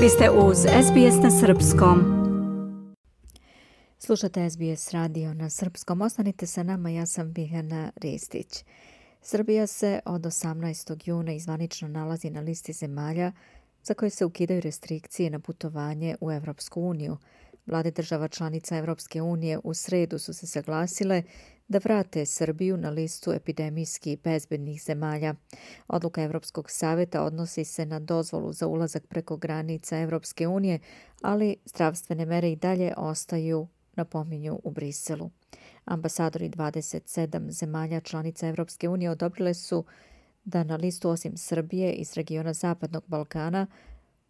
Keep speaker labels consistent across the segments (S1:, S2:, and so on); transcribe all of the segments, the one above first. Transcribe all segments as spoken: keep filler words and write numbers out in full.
S1: Vi ste uz S B S na srpskom.
S2: Slušate S B S radio na srpskom. Ostanite sa nama, ja sam Biljana Ristić. Srbija se od osamnaestog juna izvanično nalazi na listi zemalja za koje se ukidaju restrikcije na putovanje u Evropsku uniju. Vlade država članica Evropske unije u sredu su se saglasile da vrate Srbiju na listu epidemijski bezbednih zemalja. Odluka Evropskog saveta odnosi se na dozvolu za ulazak preko granica Evropske unije, ali zdravstvene mere i dalje ostaju, napominju u Briselu. Ambasadori dvadeset sedam zemalja članica Evropske unije odobrile su da na listu osim Srbije iz regiona Zapadnog Balkana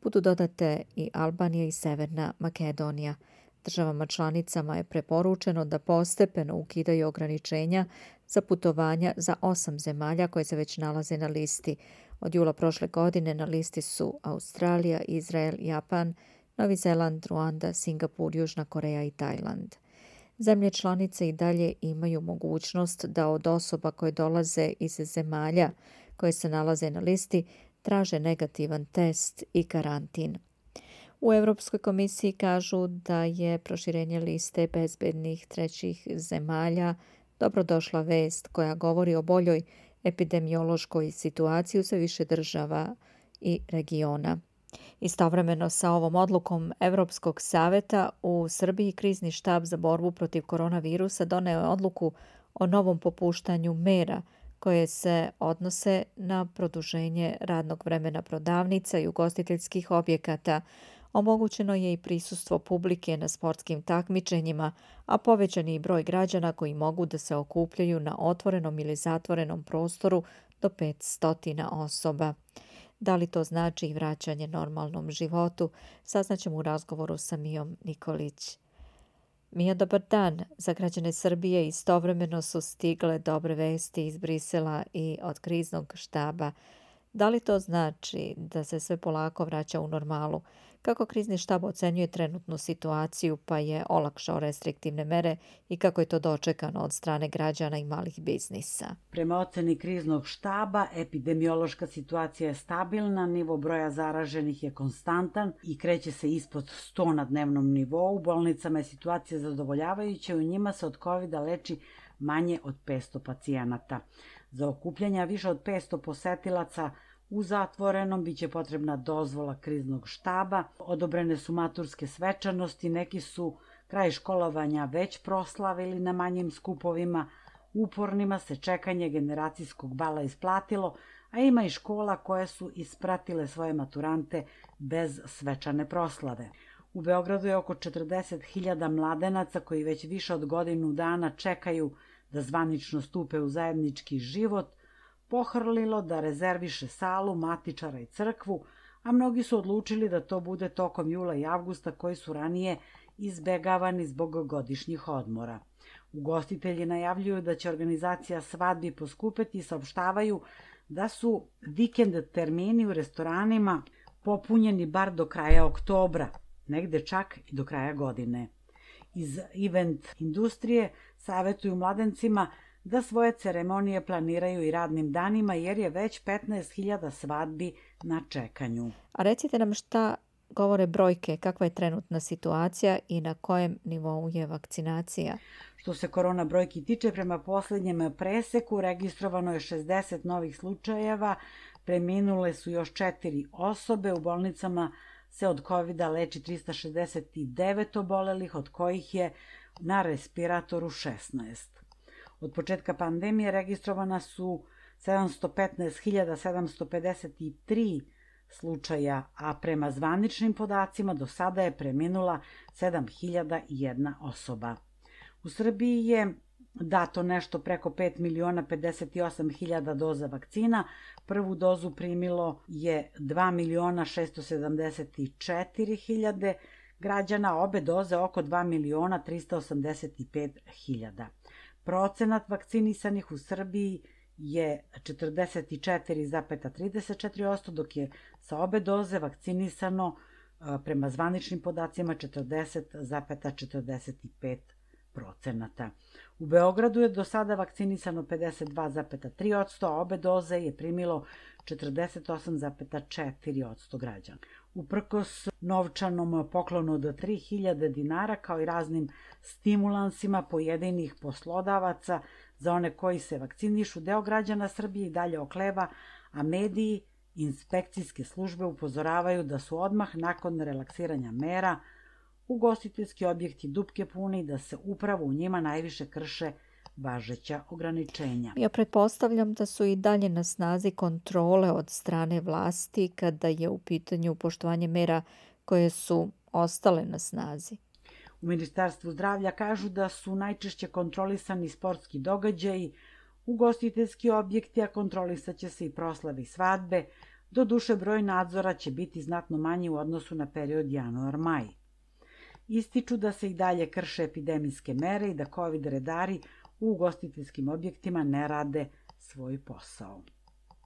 S2: budu dodate i Albanija i Severna Makedonija. Državama članicama je preporučeno da postepeno ukidaju ograničenja za putovanja za osam zemalja koje se već nalaze na listi. Od jula prošle godine na listi su Australija, Izrael, Japan, Novi Zeland, Ruanda, Singapur, Južna Koreja i Tajland. Zemlje članice i dalje imaju mogućnost da od osoba koje dolaze iz zemalja koje se nalaze na listi traže negativan test i karantin. U Europskoj komisiji kažu da je proširenje liste bezbednih trećih zemalja dobrodošla vest koja govori o boljoj epidemiološkoj situaciji u sve više država i regiona. Istovremeno sa ovom odlukom Evropskog saveta u Srbiji krizni štab za borbu protiv koronavirusa doneo je odluku o novom popuštanju mera koje se odnose na produženje radnog vremena prodavnica i ugostiteljskih objekata. Omogućeno je i prisustvo publike na sportskim takmičenjima, a povećan je i broj građana koji mogu da se okupljaju na otvorenom ili zatvorenom prostoru do petsto osoba. Da li to znači i vraćanje normalnom životu, saznaćemo u razgovoru sa Mijom Nikolić. Mija, dobar dan. Za građane Srbije istovremeno su stigle dobre vesti iz Brisela i od kriznog štaba. Da li to znači da se sve polako vraća u normalu? Kako krizni štab ocenjuje trenutnu situaciju pa je olakšao restriktivne mere i kako je to dočekano od strane građana i malih biznisa?
S3: Prema oceni kriznog štaba, epidemiološka situacija je stabilna, nivo broja zaraženih je konstantan i kreće se ispod sto na dnevnom nivou. U bolnicama je situacija zadovoljavajuća i u njima se od kovida leči manje od petsto pacijenata. Za okupljanja više od petsto posetilaca u zatvorenom biće potrebna dozvola kriznog štaba. Odobrene su maturske svečanosti, neki su kraj školovanja već proslavili na manjim skupovima. Upornima se čekanje generacijskog bala isplatilo, a ima i škola koje su ispratile svoje maturante bez svečane proslave. U Beogradu je oko četrdeset hiljada mladenaca koji već više od godinu dana čekaju da zvanično stupe u zajednički život, pohrlilo da rezerviše salu, matičara i crkvu, a mnogi su odlučili da to bude tokom jula i avgusta koji su ranije izbegavani zbog godišnjih odmora. Ugostitelji najavljuju da će organizacija svadbi poskupeti i saopštavaju da su vikend termini u restoranima popunjeni bar do kraja oktobra, negde čak i do kraja godine. Iz event industrije savetuju mladencima da svoje ceremonije planiraju i radnim danima jer je već petnaest hiljada svadbi na čekanju.
S2: A recite nam šta govore brojke, kakva je trenutna situacija i na kojem nivou je vakcinacija?
S3: Što se korona brojki tiče, prema poslednjem preseku registrovano je šezdeset novih slučajeva, preminule su još četiri osobe, u bolnicama se od kovida leči trista šezdeset devet obolelih, od kojih je na respiratoru šesnaest. Od početka pandemije registrovana su sedamsto petnaest hiljada sedamsto pedeset tri slučaja, a prema zvaničnim podacima do sada je preminula sedam hiljada jedna osoba. U Srbiji je dato nešto preko pet miliona pedeset osam hiljada doza vakcina. Prvu dozu primilo je dva miliona šesto sedamdeset četiri hiljade građana, obe doze oko dva miliona trista osamdeset pet hiljada. Procenat vakcinisanih u Srbiji je četrdeset četiri zarez trideset četiri posto, dok je sa obe doze vakcinisano prema zvaničnim podacima četrdeset zarez četrdeset pet procenata. U Beogradu je do sada vakcinisano pedeset dva zarez tri posto, a obe doze je primilo četrdeset osam zarez četiri posto građana. Uprkos novčanom poklonu od tri hiljade dinara kao i raznim stimulansima pojedinih poslodavaca za one koji se vakcinišu, deo građana Srbije i dalje okleva, a mediji i inspekcijske službe upozoravaju da su odmah nakon relaksiranja mera ugostiteljski objekti dupke puni i da se upravo u njima najviše krše važeća ograničenja.
S2: Ja pretpostavljam da su i dalje na snazi kontrole od strane vlasti kada je u pitanju poštovanje mera koje su ostale na snazi.
S3: U Ministarstvu zdravlja kažu da su najčešće kontrolisani sportski događaji, ugostiteljski objekti, a kontrolisaće se i proslave i svadbe. Doduše, broj nadzora će biti znatno manji u odnosu na period januar-maj. Ističu da se i dalje krše epidemijske mere i da COVID redari u ugostiteljskim objektima ne rade svoj posao.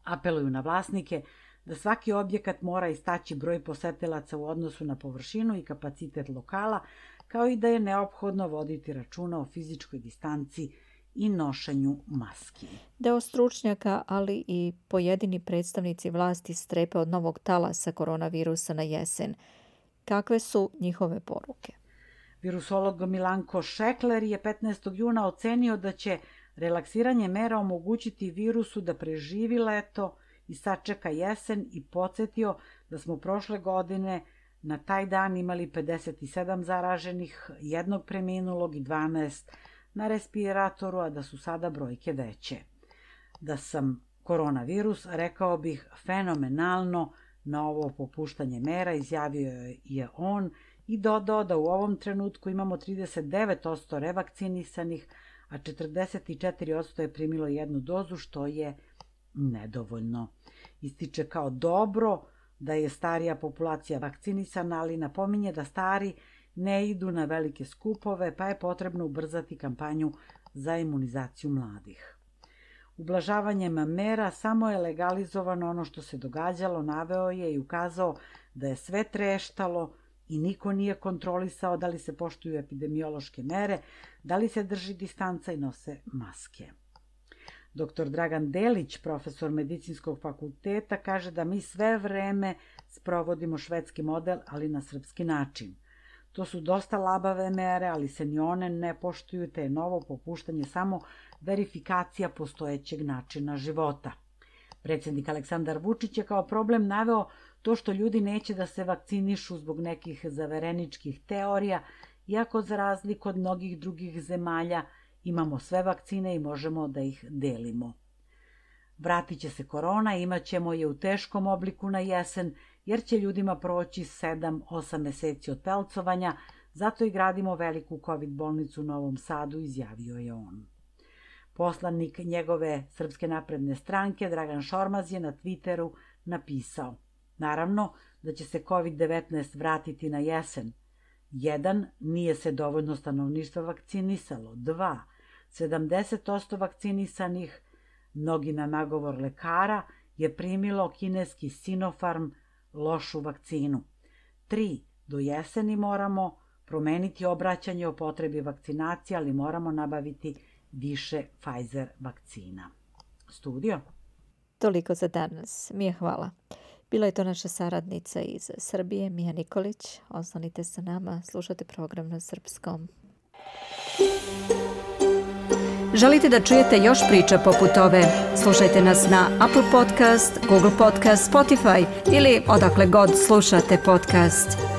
S3: Apeluju na vlasnike da svaki objekat mora istaći broj posetilaca u odnosu na površinu i kapacitet lokala, kao i da je neophodno voditi računa o fizičkoj distanci i nošenju maski.
S2: Deo stručnjaka, ali i pojedini predstavnici vlasti strepe od novog talasa koronavirusa na jesen. Kakve su njihove poruke?
S3: Virusolog Milanko Šekler je petnaestog juna ocenio da će relaksiranje mera omogućiti virusu da preživi leto i sačeka jesen i podsjetio da smo prošle godine na taj dan imali pedeset sedam zaraženih, jednog preminulog i dvanaest na respiratoru, a da su sada brojke veće. Da sam koronavirus, rekao bih, fenomenalno na ovo popuštanje mera, izjavio je on i dodao da u ovom trenutku imamo trideset devet posto revakcinisanih, a četrdeset četiri posto je primilo jednu dozu, što je nedovoljno. Ističe kao dobro da je starija populacija vakcinisana, ali napominje da stari ne idu na velike skupove, pa je potrebno ubrzati kampanju za imunizaciju mladih. Ublažavanjem mera samo je legalizovano ono što se događalo, naveo je i ukazao da je sve treštalo i niko nije kontrolisao da li se poštuju epidemiološke mere, da li se drži distanca i nose maske. Doktor Dragan Delić, profesor medicinskog fakulteta, kaže da mi sve vreme sprovodimo švedski model, ali na srpski način. To su dosta labave mere, ali se ni one ne poštuju, te je novo popuštanje samo verifikacija postojećeg načina života. Predsjednik Aleksandar Vučić je kao problem naveo to što ljudi neće da se vakcinišu zbog nekih zavereničkih teorija, iako za razliku od mnogih drugih zemalja imamo sve vakcine i možemo da ih delimo. Vratit će se korona, imat ćemo je u teškom obliku na jesen, jer će ljudima proći sedam do osam meseci od pelcovanja, zato i gradimo veliku COVID bolnicu u Novom Sadu, izjavio je on. Poslanik njegove Srpske napredne stranke, Dragan Šormaz, je na Twitteru napisao: naravno da će se COVID devetnaest vratiti na jesen. Jedan, nije se dovoljno stanovništva vakcinisalo. Dva, sedamdeset posto vakcinisanih, mnogi na nagovor lekara, je primilo kineski Sinopharm, lošu vakcinu. Tri, do jeseni moramo promeniti obraćanje o potrebi vakcinacije, ali moramo nabaviti više Pfizer vakcina. Studio?
S2: Toliko za danas. Mija, hvala. Bila je to naša saradnica iz Srbije, Mija Nikolić. Ostanite sa nama, slušate program na srpskom.
S1: Želite da čujete još priča poput ove? Slušajte nas na Apple Podcast, Google Podcast, Spotify ili odakle god slušate podcast.